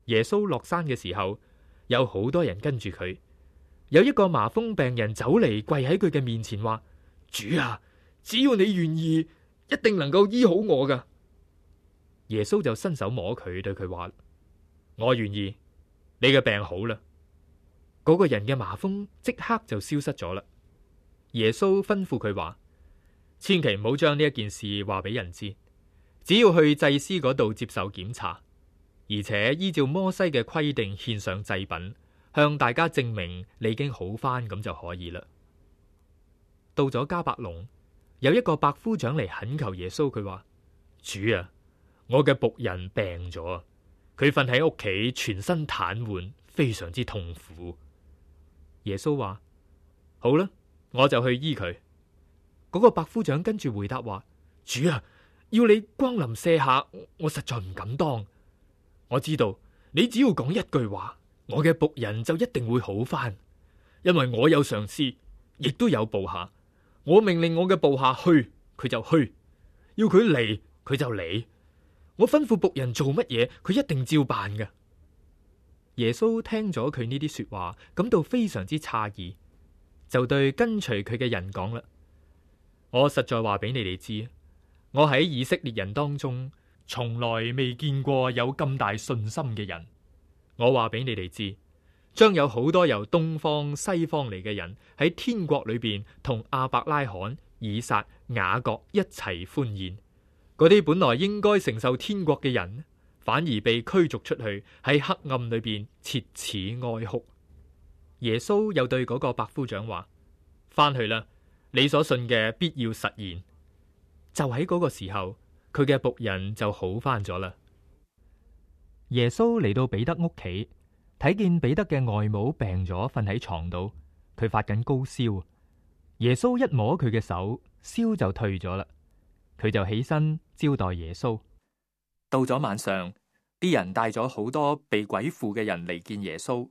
耶穌落山嘅時候，有好多人跟住佢。有一個麻風病人走嚟跪喺佢嘅面前話：主啊，只要你願意，一定能夠醫好我噶。耶穌就伸手摸佢，對佢話：我願意，你嘅病好啦。嗰個人嘅麻風即刻就消失咗啦。耶穌吩咐佢話：千祈唔好將呢一件事話俾人知，只要去祭司嗰度接受檢查，而且依照摩西嘅規定獻上祭品，向大家證明你已經好返，咁就可以啦。到咗迦百農，有一個百夫長嚟懇求耶穌，佢話：主啊，我嘅僕人病咗，佢瞓喺屋企，全身癱瘓，非常之痛苦。耶穌話：好啦，我就去醫佢。嗰個百夫長跟住回答話：主啊，要你光臨舍下，我實在唔敢當。我知道你只要講一句話，我嘅僕人就一定會好返，因為我有上司，亦都有部下。我命令我嘅部下去，佢就去；要佢嚟，佢就嚟。我吩咐僕人做乜嘢，佢一定照辦嘅。耶穌聽咗佢呢啲說話，感到非常之詫異，就對跟隨佢嘅人講啦：我實在話俾你哋知，我喺以色列人當中，從來未見過有咁大信心嘅人。我話俾你哋知，將有好多由東方西方嚟嘅人喺天國裏邊同亞伯拉罕、以撒、雅各一齊歡宴。嗰啲本來應該承受天國嘅人，反而被驅逐出去，喺黑暗裏邊切齒哀哭。耶穌又對嗰個百夫長話：翻去啦，你所信嘅必要實現。就喺嗰個時候，佢嘅僕人就好翻咗啦。耶穌嚟到彼得屋企，睇見彼得嘅外母病咗，瞓喺床度，佢發緊高燒。耶穌一摸佢嘅手，燒就退咗啦。佢就起身招待耶穌。到咗晚上，啲人帶咗好多被鬼附嘅人嚟見耶穌。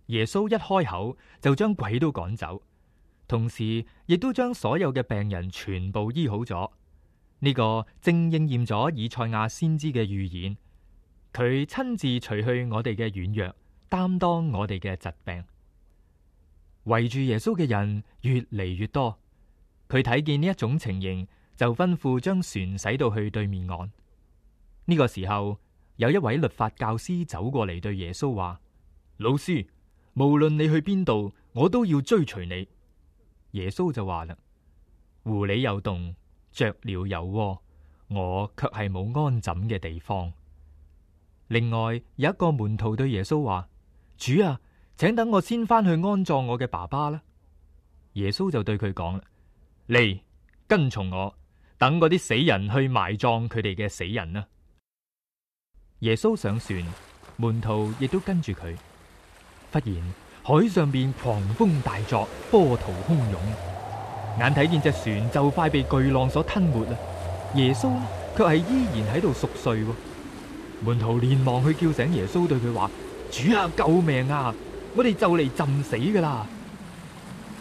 耶穌一開口就將鬼都趕走，同時亦都將所有嘅病人全部醫好咗。呢個正應驗咗以賽亞先知嘅預言。佢親自除去我哋嘅軟弱，擔當我哋嘅疾病。圍住耶穌嘅人越嚟越多。佢睇見呢一種情形，就吩咐將船駛到去對面岸。呢個時候，有一位律法教師走過嚟對耶穌話：老師，無論你去邊度，我都要追隨你。耶穌就話啦：狐狸有洞，雀鳥有窩，我卻係冇安枕嘅地方。另外有一個門徒對耶穌話：主啊，請等我先返去安葬我嘅爸爸啦。耶穌就對佢講啦：嚟，跟從我，等嗰啲死人去埋葬佢哋嘅死人啦。耶穌上船，門徒亦都跟住佢。忽然海上邊狂風大作，波濤洶湧，眼睇見隻船就快被巨浪所吞沒啦。耶穌呢，卻係依然喺度熟睡。門徒連忙去叫醒耶穌，對佢話：主啊，救命啊！我哋就嚟浸死噶啦！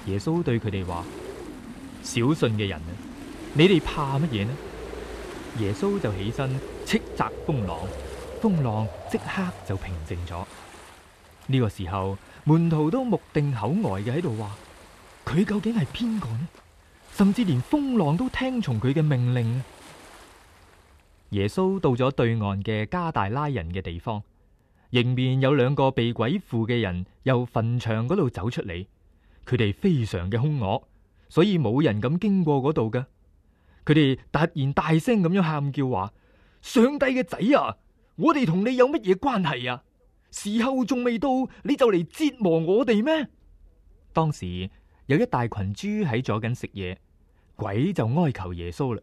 耶穌對佢哋話：小信嘅人啊，你哋怕乜嘢呢？耶穌就起身斥責風浪，風浪即刻就平靜咗。呢個時候，門徒都目定口呆嘅喺度話：佢究竟係邊個呢？甚至連風浪都聽從佢嘅命令。耶穌到咗對岸嘅加大拉人嘅地方，迎面有兩個被鬼附嘅人由墳場嗰度走出嚟，佢哋非常嘅兇惡，所以冇人敢經過嗰度嘅。佢哋突然大聲咁樣喊叫話：上帝嘅仔啊，我哋同你有乜嘢關係啊？時候仲未到，你就嚟折磨我哋咩？當時有一大群豬喺左緊食嘢，鬼就哀求耶穌啦：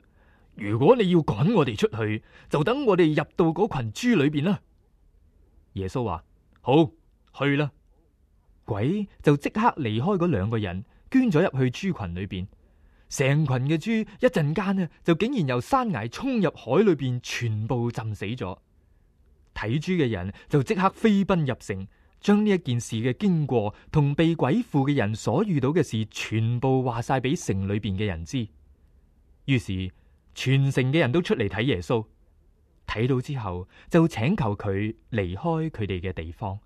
如果你要趕我哋出去，就等我哋入到嗰群豬裏邊啦。耶穌話：好，去啦。鬼就即刻離開嗰兩個人，捐咗入去豬群裏邊。成群嘅豬一陣間呢，就竟然由山崖衝入海裏邊，全部浸死咗。睇豬嘅人就即刻飛奔入城，將呢一件事嘅經過同被鬼附嘅人所遇到嘅事，全部話晒俾城裏邊嘅人知。於是全城嘅人都出嚟睇耶穌。睇到之後就請求佢離開佢哋嘅地方。